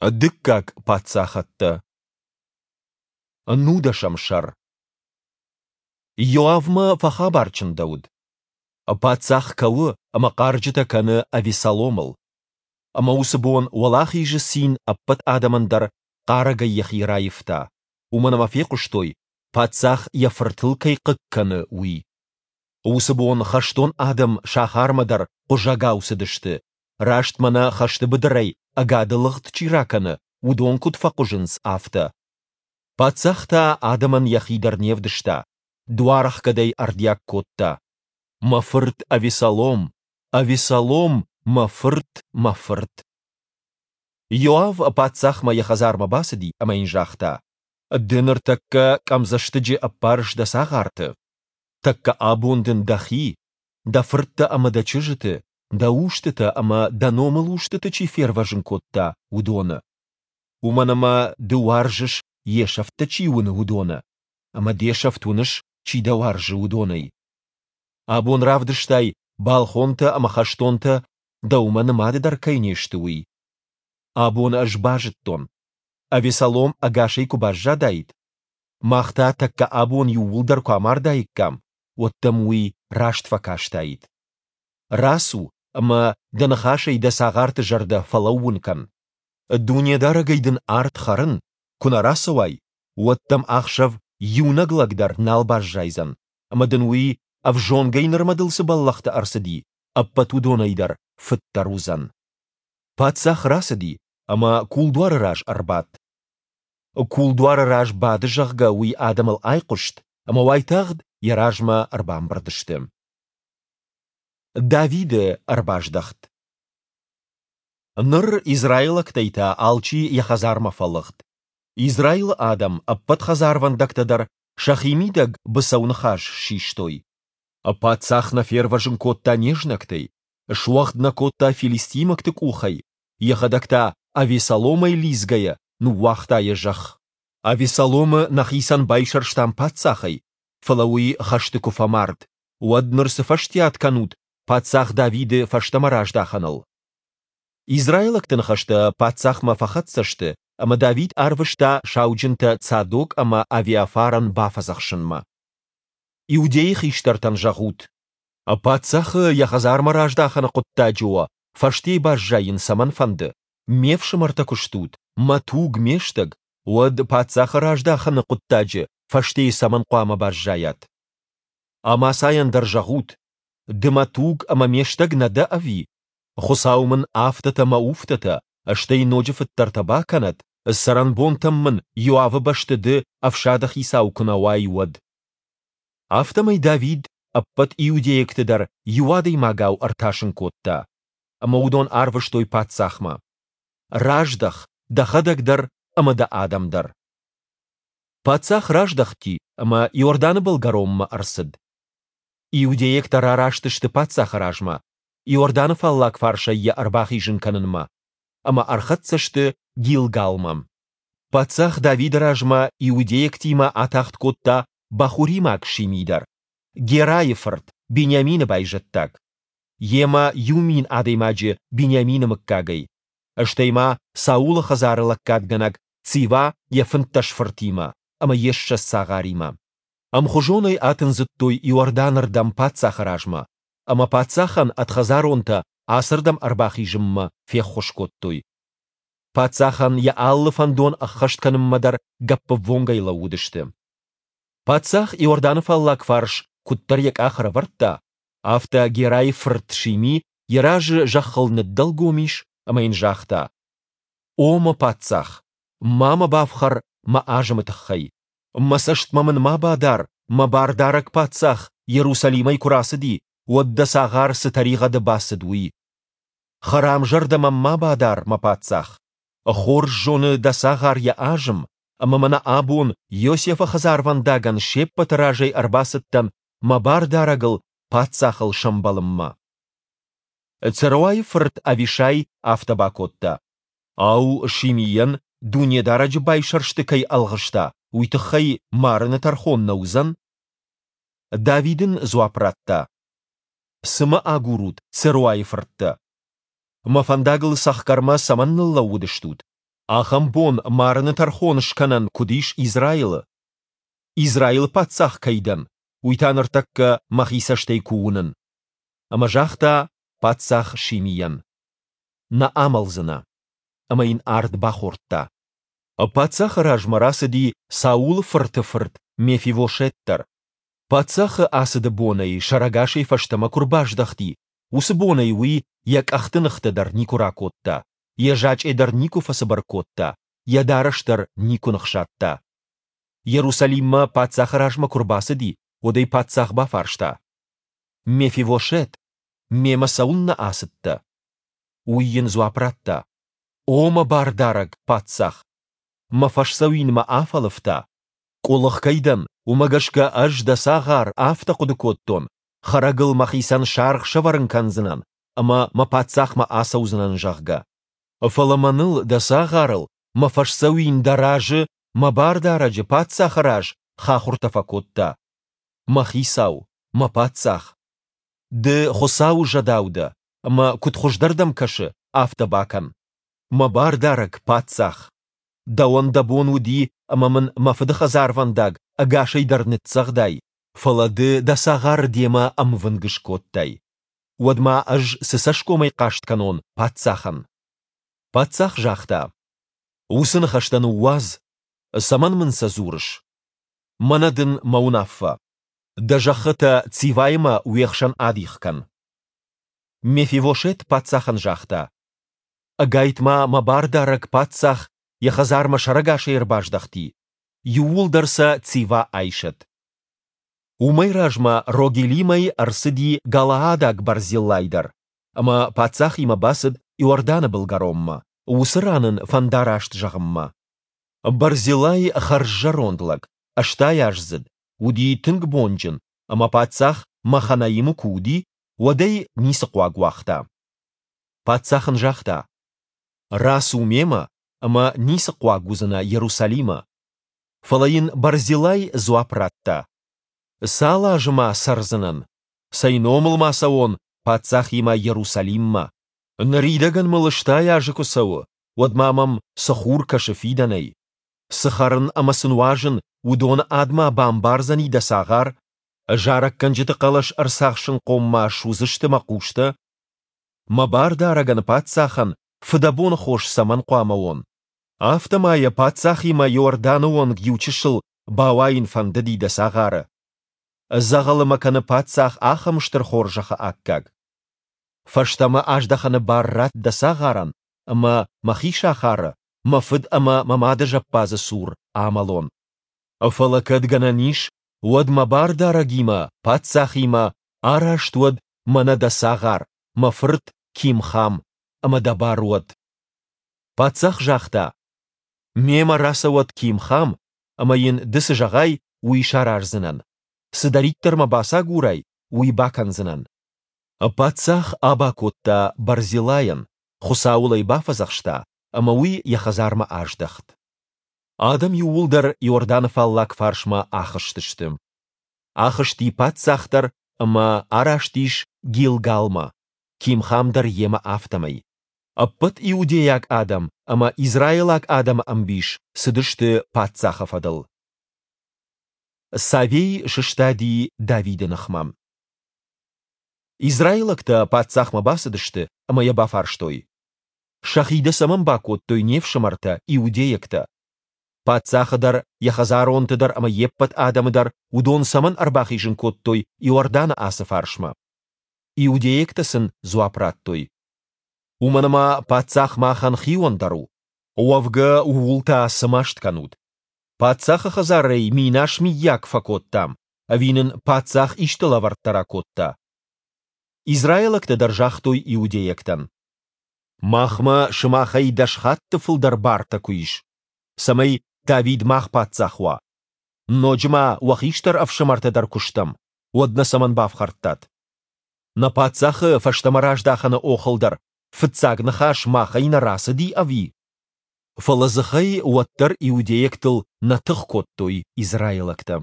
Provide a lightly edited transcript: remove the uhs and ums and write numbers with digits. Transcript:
Дыккаг паддзахӕдтӕ. Нудӕсӕм сӕр. Иоавмӕ фӕхабар чындӕуыд. Паддзах кӕуы ӕмӕ хъарджытӕ кӕны Авессаломыл. Ӕмӕ уыцы бон уӕлахизы цин ӕппӕт адӕмӕн дӕр хъарӕгӕй йӕхи раивта, уымӕн ӕмӕ фехъуыстой, паддзах йӕ фыртыл кӕй хъыг кӕны, уый. Уыцы бон хӕстон адӕм сахармӕ дӕр хъуызӕгау цыдысты, раст мӕнӕ хӕсты быдырӕй ӕгады лыгъд чи ракӕны, уыдон куыд фӕхъуызынц, афтӕ. Паддзах та адӕмӕн йӕхи дӕр не вдыста, дуарӕхгӕдӕй ӕрдиаг кодта: «Мӕ фырт Авессалом, Авессалом, мӕ фырт, мӕ фырт!» Иоав паддзахмӕ йӕ хӕдзармӕ бацыди ӕмӕ йын загъта: «Ды ныртӕккӕ къӕмдзӕстыджы ӕппарыс дӕ цагъарты. Тӕккӕ абон дын дӕхи, дӕ фырттӕ ӕмӕ дӕ чызджыты, дӕ устытӕ ӕмӕ дӕ номылустыты чи фервӕзын кодта, уыдоны. Уымӕн ӕмӕ ды уарзыс, йе сӕфттӕ чи уыны, уыдоны, ӕмӕ де сӕфт уыныс, чи дӕ уарзы, уыдонӕй. Абон равдыстай, балхонтӕ ӕмӕ хӕстонтӕ дӕумӕ нымады дӕр кӕй не сты, уый. Абон ӕз базыдтон, Авессалом ӕгасӕй куы баззадаид, мах та тӕккӕ абон иууылдӕр куы амардаиккам, уӕд дӕм уый раст фӕкастаид. Рацу ӕмӕ дӕ ныхасӕй дӕ цагъарты зӕрдӕ фӕлӕууын кӕн. Дунедарӕгӕй дын ард хӕрын, куы нӕ рацӕуай, уӕд дӕм ахсӕв иунӕг лӕг дӕр нал баззайдзӕн, ӕмӕ дын уый, ӕвзонгӕй нырмӕ дыл цы бӕллӕхтӕ ӕрцыди, ӕппӕт уыдонӕй дӕр фыддӕр уыдзӕн. Паддзах рацыди ӕмӕ кулдуары раз ӕрбадт. Кулдуары раз бады, зӕгъгӕ, уый адӕмыл айхъуыст, ӕмӕ уайтагъд йӕ размӕ ӕрбамбырд сты. Давиды ӕрбаздӕхт. Ныр израилӕгтӕй та алчи йӕ хӕдзармӕ фӕлыгъд. Израилы адӕм ӕппӕт хӕдзарвӕндӕгтӕ дӕр сӕхимидӕг быцӕу ныхас систой. Паддзах нӕ фервӕзын кодта не знӕгтӕй, суӕгъд нӕ кодта филистимӕгты къухӕй, йӕхӕдӕг та Авессаломӕй лидзгӕйӕ ныууагъта йӕ зӕхх. Авессаломы нӕхицӕн байсӕрстам паддзахӕй, фӕлӕ уый хӕсты куы фӕмард, уӕд ныр цы фӕстиат кӕнут паддзах Давиды фӕстӕмӕ раздахӕныл? Израилӕгты ныхӕстӕ паддзахмӕ фӕхӕццӕ сты, ӕмӕ Давид арвыста сауджынтӕ Цадок ӕмӕ Авиафарӕн бафӕдзӕхсынмӕ. Иудейы хистӕртӕн зӕгъут: Паддзахы йӕ хӕдзармӕ раздахыны хъуыддаджы уӕ фӕстейы баззайын цӕмӕн фӕнды? Ме фсымӕртӕ куы стут, мӕ туг, ме стӕг, уӕд паддзахы раздахыны хъуыддаджы фӕстейы цӕмӕн хъуамӕ баззайат? Амасайӕн дӕр зӕгъут: Ды мӕ туг ӕмӕ ме стӕг нӕ дӕ ӕви? Хуыцау мын афтӕтӕ мӕ уфтӕтӕ, стӕй ноджы фыддӕртӕ бакӕнӕд, цӕрӕнбонтӕм мын Иоавы бӕсты ды ӕфсады хицау куы нӕ уай, уӕд. Афтӕмӕй Давид ӕппӕт иудейӕгты дӕр иу адӕймагау ӕртасын кодта, ӕмӕ уыдон арвыстой паддзахмӕ. Раздӕх, дӕхӕдӕг дӕр ӕмӕ дӕ адӕм дӕр. Паддзах раздӕхти ӕмӕ Иорданы былгӕронмӕ ӕрцыд. Иудейӕгтӕ рараст сты паддзахы размӕ, Иорданы фаллаг фарсӕй йӕ ӕрбахизын кӕнынмӕ, ӕмӕ ӕрхӕццӕ сты Гилгалмӕ. Паддзах Давиды размӕ иудейӕгтимӕ атагъд кодта бахуримаг Шими дӕр, Герайы фырт, Бениамины байзӕддаг. Йемӕ 1000 адӕймаджы Бениамины мыггагӕй, стӕй ма Саулы хӕдзары лӕггадгӕнӕг Цива йӕ 15 фыртимӕ ӕмӕ йе 20 цагъаримӕ. Ӕмхуызонӕй атындзыдтой Иорданы рдӕм паддзахы размӕ, ӕмӕ паддзахӕн ӕдхӕдзаронтӕ ацырдӕм ӕрбахизынмӕ феххуыс кодтой. Паддзахӕн йӕ алы фӕндон ӕххӕст кӕнынмӕ дӕр гӕппӕввонгӕй лӕууыдысты. Паддзах Иорданы фаллаг фарс куыддӕр йӕ къах ӕрӕвӕрдта, афтӕ Герайы фырт Шими йӕ разы зӕххыл ныддӕлгом ис ӕмӕ йын загъта: «О мӕ паддзах, ма мӕ бафхӕр мӕ азымы тыххӕй. Мӕ цӕстмӕ мын ма бадар, мӕ бардарӕг паддзах Иерусалимӕй куы рацыди, уӕд дӕ цагъар цы тӕригъӕды бацыд, уый. Хӕрам зӕрдӕ мӕм ма бадар, мӕ паддзах. Хорз зоны дӕ цагъар йӕ азым, ӕмӕ мӕнӕ абон Иосифы хӕдзарвӕндагӕн се ппӕты разӕй ӕрбацыдтӕн мӕ бардарӕгыл паддзахыл сӕмбӕлынмӕ. Церуайы фырт Авишай афтӕ бакодта: Ау, Шимийӕн Дунедарӕджы байсӕрсты кӕй ӕлгъыста, уый тыххӕй марыны тӕрхон нӕ уыдзӕн? Давид ын дзуапп радта: Цы мӕ агурут, Церуайы фырттӕ? Мӕ фӕндагыл цӕхгӕрмӕ цӕмӕн ныллӕууыдыстут? Ахӕм бон марыны тӕрхон скӕнӕн куыд ис Израилы? Израилы паддзах кӕй дӕн, уый та ныртӕккӕ мӕхи цӕстӕй куы уынын. Ӕмӕ загъта паддзах Шимийӕн: Нӕ амӕлдзынӕ. Ӕмӕ йын ард бахордта. Паддзахы размӕ рацыди Саулы фырты фырт Мефивошет дӕр. Паддзахы ацыды бонӕй сӕрӕгасӕй фӕстӕмӕ куы рбаздӕхти, уыцы бонӕй уый йӕ къӕхты ныхтӕ дӕр никуы ракодта, йӕ зачъе дӕр никуы фӕцыбыр кодта, йӕ дарӕс дӕр никуы ныхсадта. Иерусалиммӕ паддзахы размӕ куы рбацыди, уӕд ӕй паддзах бафарста: «Мефивошет, мемӕ цӕуылнӕ ацыдтӕ?» Уый йын дзуапп радта: «О мӕ бардарӕг, паддзах! Мӕ фӕсдзӕуин мӕ афӕлывта. Къуылых кӕй дӕн, уымӕ гӕсгӕ ӕз, дӕ цагъар, афтӕ хъуыды кодтон, хӕрӕгыл мӕхицӕн саргъ сӕвӕрын кӕндзынӕн ӕмӕ мӕ паддзахмӕ ацӕудзынӕн, зӕгъгӕ. Фӕлӕ мӕныл, дӕ цагъарыл, мӕ фӕсдзӕуин дӕ разы, мӕ бардарӕджы, паддзахы раз хахуыртӕ фӕкодта. Мӕ хицау, мӕ паддзах! Ды Хуыцауы зӕдау дӕ, ӕмӕ куыд хуыздӕр дӕм кӕсы, афтӕ бакӕн. Мӕ бардарӕг, паддзах! Дӕуӕн дӕ бон уыди, ӕмӕ мын мӕ фыды хӕдзарвӕндаг ӕгасӕй дӕр ныццӕгъдай, фӕлӕ ды дӕ цагъары демӕ ӕмвынг скодтай. Уӕд ма ӕз цы цӕсгомӕй хъаст кӕнон паддзахӕн? Паддзах загъта: Уыцы ныхӕстӕ ныууадз, цӕмӕн мын сӕ дзурыс? Мӕнӕ дын мӕ уынаффӕ. Дӕ зӕххытӕ Циваимӕ уе хсӕн адих кӕн. Мефивошет паддзахӕн загъта: Ӕгайтма мӕ бардарӕг паддзах йӕ хӕдзармӕ сӕрӕгасӕй ӕрбаздӕхти, иууылдӕр сӕ Цива айсӕд. Уымӕй размӕ Рогелимӕй ӕрцыди галаадаг Барзиллай дӕр, ӕмӕ паддзахимӕ бацыд Иорданы былгӕронмӕ, уыцы ран ын фӕндараст зӕгъынмӕ. Барзиллай хӕрззӕронд лӕг, ӕстайаздзыд, уыди тынг бонджын, ӕмӕ паддзах Маханаимы куы уыди, уӕд ӕй ницы хъуаг уагъта. Паддзах ын загъта: «Рацу мемӕ, ӕмӕ ницы хъуаг уыдзынӕ Иерусалимы». Фӕлӕ йын Барзилай дзуапп радта: «Цал азы ма цӕрдзынӕн? Цӕй номыл ма цӕуон паддзахимӕ Иерусалиммӕ? Ныридӕгӕн мыл 80 азы куы цӕуы, уӕд ма мӕм цы хур кӕсы фидӕнӕй? Цы хӕрын ӕмӕ цы нуазын, уыдоны ад ма бамбардзӕни дӕ цагъар? Зарӕггӕнджыты хъӕлӕс ӕрцахсынхъом ма суыдзысты мӕ хъустӕ? Мӕ бардарӕгӕн паддзахӕн фыдӕбоны хос цӕмӕн хъуамӕ уон? Афтӕ ма йӕ паддзахимӕ Иорданы онг иучысыл бауайын фӕндыди дӕ цагъары. Дзӕгъӕлы мӕ кӕны паддзах ахӕм стыр хорзӕхы аккаг. Фӕстӕмӕ аздӕхыны бар ратт дӕ цагъарӕн, ӕмӕ мӕхи сахары, мӕ фыд ӕмӕ мӕ мады зӕппадзы цур амӕлон. Фӕлӕ кӕд гӕнӕн ис, уӕд мӕ бардарӕгимӕ, паддзахимӕ араст уӕд мӕнӕ дӕ цагъар, мӕ фырт Кимхам, ӕмӕ дӕ бар уӕд. Паддзах загъта: Мемӕ рацӕуӕд Кимхам, ӕмӕ йын ды цы зӕгъай, уый сараздзынӕн. Цыдӕриддӕр мӕ бацагурай, уый бакӕндзынӕн. Паддзах аба кодта Барзилайӕн, Хуыцауыл ӕй бафӕдзӕхста, ӕмӕ уый йӕ хӕдзармӕ аздӕхт. Адӕм иууылдӕр Иорданы фаллаг фарсмӕ ахызтысты. Ахызти паддзах дӕр ӕмӕ араст ис Гилгалмӕ, Кимхам дӕр йемӕ афтӕмӕй. Ӕппӕт иудейаг адӕм ӕмӕ израилаг адӕмы ӕмбис цыдысты паддзахы фӕдыл. Савей сыстади Давиды ныхмӕ. Израилӕгтӕ паддзахмӕ бацыдысты ӕмӕ йӕ бафарстой: Сӕхи дӕ цӕмӕн бакодтой не фсымӕртӕ, иудейӕгтӕ? Паддзахы дӕр, йӕ хӕдзаронты дӕр ӕмӕ йе ппӕт адӕмы дӕр уыдон цӕмӕн ӕрбахизын кодтой Иорданы ацы фарсмӕ? Иудейӕгтӕ сын дзуапп радтой: Уымӕн ӕмӕ паддзах махӕн хиондӕр у. Уӕвгӕ ууыл та цы маст кӕнут? Паддзахы хӕдзарӕй минас миййаг фӕкодтам, ӕви нын паддзах исты лӕвӕрттӕ ракодта? Израилӕгтӕ дӕр загътой иудейӕгтӕн: Махмӕ сымахӕй дӕс хатты фылдӕр бартӕ куы ис, цӕмӕй Давид мах паддзах уа. Ноджы ма уӕ хистӕр ӕфсымӕртӕ дӕр куы стӕм, уӕд нӕ цӕмӕн бафхӕрдтат? Нӕ паддзахы фӕстӕмӕ раздахыны охыл дӕр фыццаг ныхас махӕй нӕ рацыди, ӕви? Фӕлӕ дзыхӕй уӕддӕр иудейӕгтыл нӕ тых кодтой израилӕгтӕ.